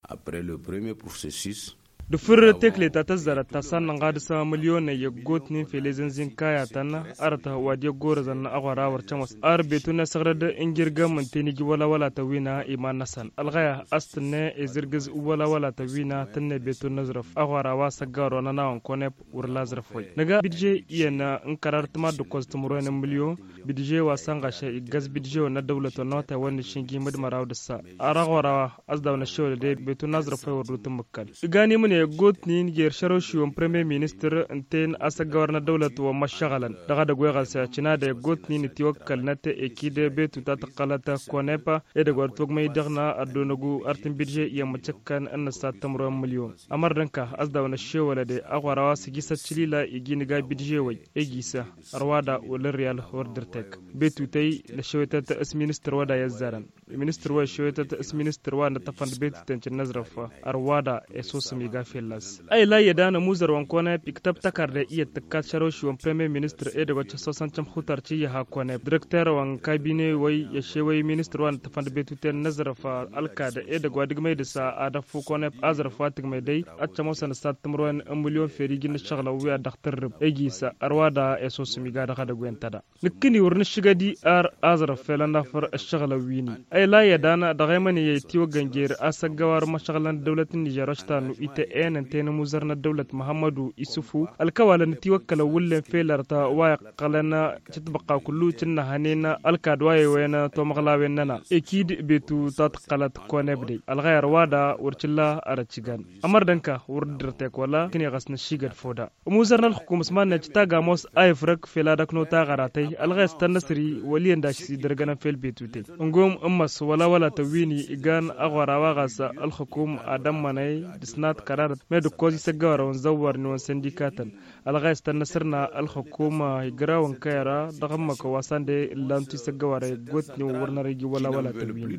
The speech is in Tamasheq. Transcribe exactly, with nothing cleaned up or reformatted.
Après le premier processus. Dăfăr tekle ta tăzzarăt ta sannănɣa dăɣ-s mălyonăy i-ăggootnen fel ezănzin kayatăn arăt wa d-iyyăggorăzăn aɣora wăr cămos ar betu n-asăɣrăd n-jirgăm ǝnta n-iji wăla wăla tăwina iman-năsăn ălɣăya a-s tǝnnă ezǝrgǝz wăla wăla tăwina tǝnnă betu n-aẓrǝf aɣora wa s-ăgg-awăr wa n-ănawăn konep wăr laẓrǝf wăy nǝga bidže iyyăn n-kărar tǝmad d-ǝkkoẓ timǝrwen n-mǝlyon bidže wa sănɣaš iggăz bidže-wăn n-ăddăwlăt wa n-awătay wa n-išǝnji mădmăraw d-ǝssa ar aɣora wa a-s daw-năššewăl ădeb betu n-aẓrǝf wa i-wăr dd-tǝmmǝkkăl. Ǝggan imǝne ăggootnen jer-šărošiwăn premier ministăr ǝnta-en a-s ăggawăr n-ăddăwlăt wa n-măššăɣălăn dăɣ-edăgg wa iɣăs cinadăy ăggootnen itiwăkkălnăt ekid betu ta tǝqqălăt konepa edăgg wa dd-tiwăgmăy dăɣ-năɣ ăddonăgu ar tǝnbidže i-ămmăčăkkăn n-ăssat timǝrwen n-mǝlyon. Ămăr d-ǝnka a-s daw-năššewăl ădeb aɣora wa s-iji s-ăččǝlila iji nǝga bidže-wăy egi s-ărwa da wăla ăryal wăr dd-ărtek. Betutăy năššewătăt s-ministăr wa da i-ăzzarăn. Ministăr wa iššewătăt s-ministăr wa n-ăṭṭăfăn d-betuten cǝnnăzrăf ărwa da i-sosăm iga fălla-s. A ila iyyăd anămuzăr wa n-konep iktăb tăkarde iyyăt tǝkkat šărošiwăn premier ministăr edăgg wa căssosăn cămxutar cǝyyăha konep dirăkterăwăn kabine-wăy i-ăšewăy ministăr wa n-ăṭṭăfăn d-betuten n-aẓrăf ălkad edăgg wa d-ǝgmăy dăɣ-s a ad-ăffu konep aẓrăf wa t-ǝgmăy dăy ad-cămoosăn ǝssat timǝrwen n-mǝlyon fel iji n-ǝššăɣǝlăn wi ad-dăɣ-tǝrrǝb egi s-ărwa da i-sosăm iga dăɣ-edăgg wen tăda. Nǝkkǝni wăr nǝššǝgădi ar aẓrǝf fel ănnafăr ǝššăɣǝlăn wi-ni. Ăyla iyyăd anăɣ dăɣ-emănǝyăy itiwăggăn jer-a-s ăggăwar măšăɣǝlăn ăddăwlăt n-nižer oštanu ite-en ǝnta i-inǝmuzăr n-ăddăwlăt muhămmădu isufu ălkăwalăn itiwăkkălăn wǝllen fel ărta wa iqqălăn cǝtbăqqa kullu cǝnnăhănen ălkad wa i-wen tomăɣlawen-nănăɣ ekid betu ta tǝqqălăt konebdăy ălɣăyăr wa da wăr cǝlla arăt cǝgan. Ămăr d-ǝnka wăr dd-ărtek wăla kǝneɣăs năššigăd foda. Ămuzăr n-ălxǝkum s-mannăj tagamos a ifrăk fel ad-ăknot aɣăratăy ălɣăyăs tăn-năsri wăl' iyyăn daš-s idărgănăn fel betutăy. Ǝngom ǝmmăs wăla wăla tăwwini igan aɣora wa ɣas ălxǝkum ad-ămmănăy d-ǝsnat kărarăt med-ǝkkoẓ isăggăwarăwăn zăwwărniwăn săndikatăn. Ălɣăyăs tăn-năsrna ălxǝkum igrăwăn kăyăra dăɣ-ǝmmăkăn wa săn de ǝllantu isăggăwarăy ăggootniwăn wăr năr iji wăla wăla tăwwini.